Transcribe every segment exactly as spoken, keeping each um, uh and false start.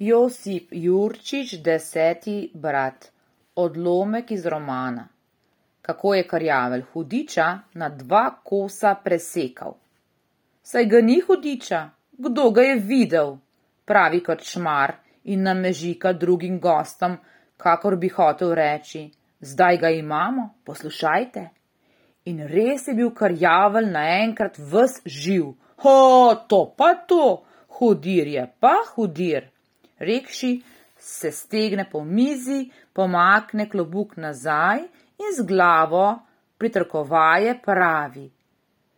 Josip Jurčič, deseti brat. Odlomek iz romana. Kako je Karjavelj hudiča na dva kosa presekal. Saj ga ni hudiča, kdo ga je videl, pravi krčmar in namežika drugim gostom, kakor bi hotel reči, zdaj ga imamo, poslušajte. In res je bil Karjavelj naenkrat ves živ. Ho, to pa to, hudir je pa hudir. Rekši, se stegne po mizi, pomakne klobuk nazaj in z glavo pritrkovaje pravi.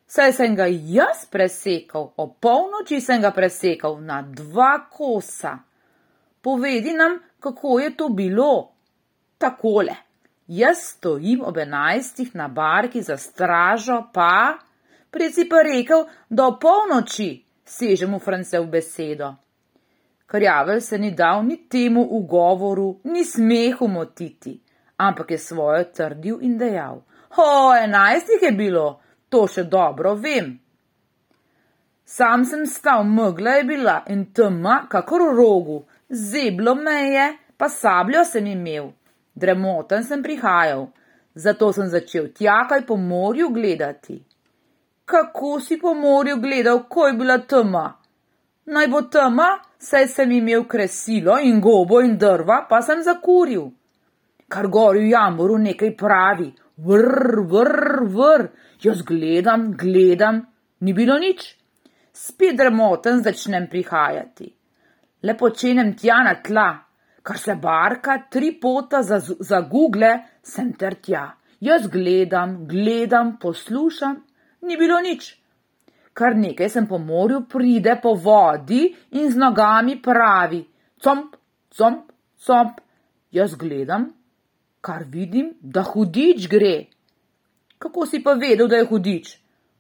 Saj sem ga jaz presekal, o polnoči sem ga presekal na dva kosa. Povedi nam, kako je to bilo. Takole, jaz stojim ob enajstih na barki za stražo, pa, prej si pa rekel, da o polnoči, seže mu France v besedo. Karjavelj se ni dal ni temu ugovoru, ni smehu motiti, ampak je svojo trdil in dejal. Ho, enajstih je bilo, to še dobro vem. Sam sem stal, megla je bila in tema kakor v rogu, zeblo me je, pa sabljo sem imel. Dremoten sem prihajal, zato sem začel tjakaj po morju gledati. Kako si po morju gledal, ko je bila tema? Naj bo tema, saj sem imel kresilo in gobo in drva, pa sem zakuril. Kar gori v jamboru nekaj pravi, vrr, vrr, vrr, jaz gledam, gledam, ni bilo nič. Spet dremoten začnem prihajati. Le počenem tja na tla, kar se barka tri pota zagugle, sem ter tja. Jaz gledam, gledam, poslušam, ni bilo nič. Kar nekaj sem po morju pride po vodi in z nogami pravi, comp, comp, comp. Jaz gledam, kar vidim, da hudič gre. Kako si pa vedel, da je hudič?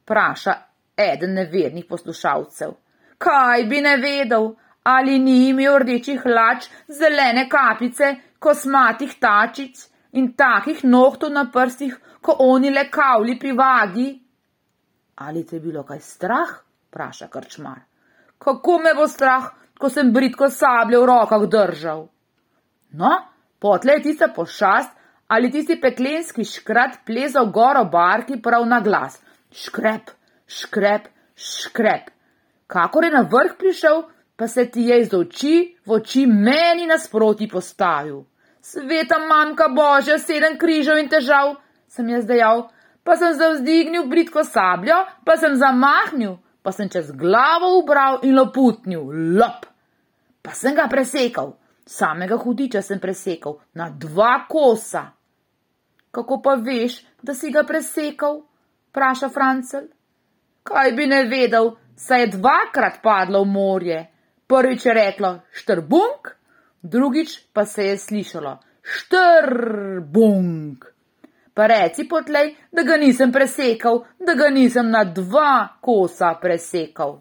Praša eden nevernih poslušalcev. Kaj bi ne vedel, ali ni imel rdečih hlač, zelene kapice, kosmatih tačic in takih nohtov na prstih, ko oni le kavli pri vagi? Ali te je bilo kaj strah? Praša krčmar. Kako me bo strah, ko sem bridko sabljo v rokah držal? No, potle je tista pošast ali tisti peklenski škrat plezal gor ob barki prav na glas. Škrep, škrep, škrep. Kakor je na vrh prišel, pa se ti je iz oči v oči meni nasproti postavil. Sveta mamka Božja, sedem križev in težav, sem jaz dejal. Pa sem zavzdignil bridko sabljo, pa sem zamahnil, pa sem čez glavo ubral in loputnil, lop. Pa sem ga presekal, samega hudiča sem presekal, na dva kosa. Kako pa veš, da si ga presekal? Praša Francelj. Kaj bi ne vedel, saj je dvakrat padlo v morje. Prvič je reklo štrbunk, drugič pa se je slišalo štrbunk. Pa reci potlej, da ga nisem presekal, da ga nisem na dva kosa presekal.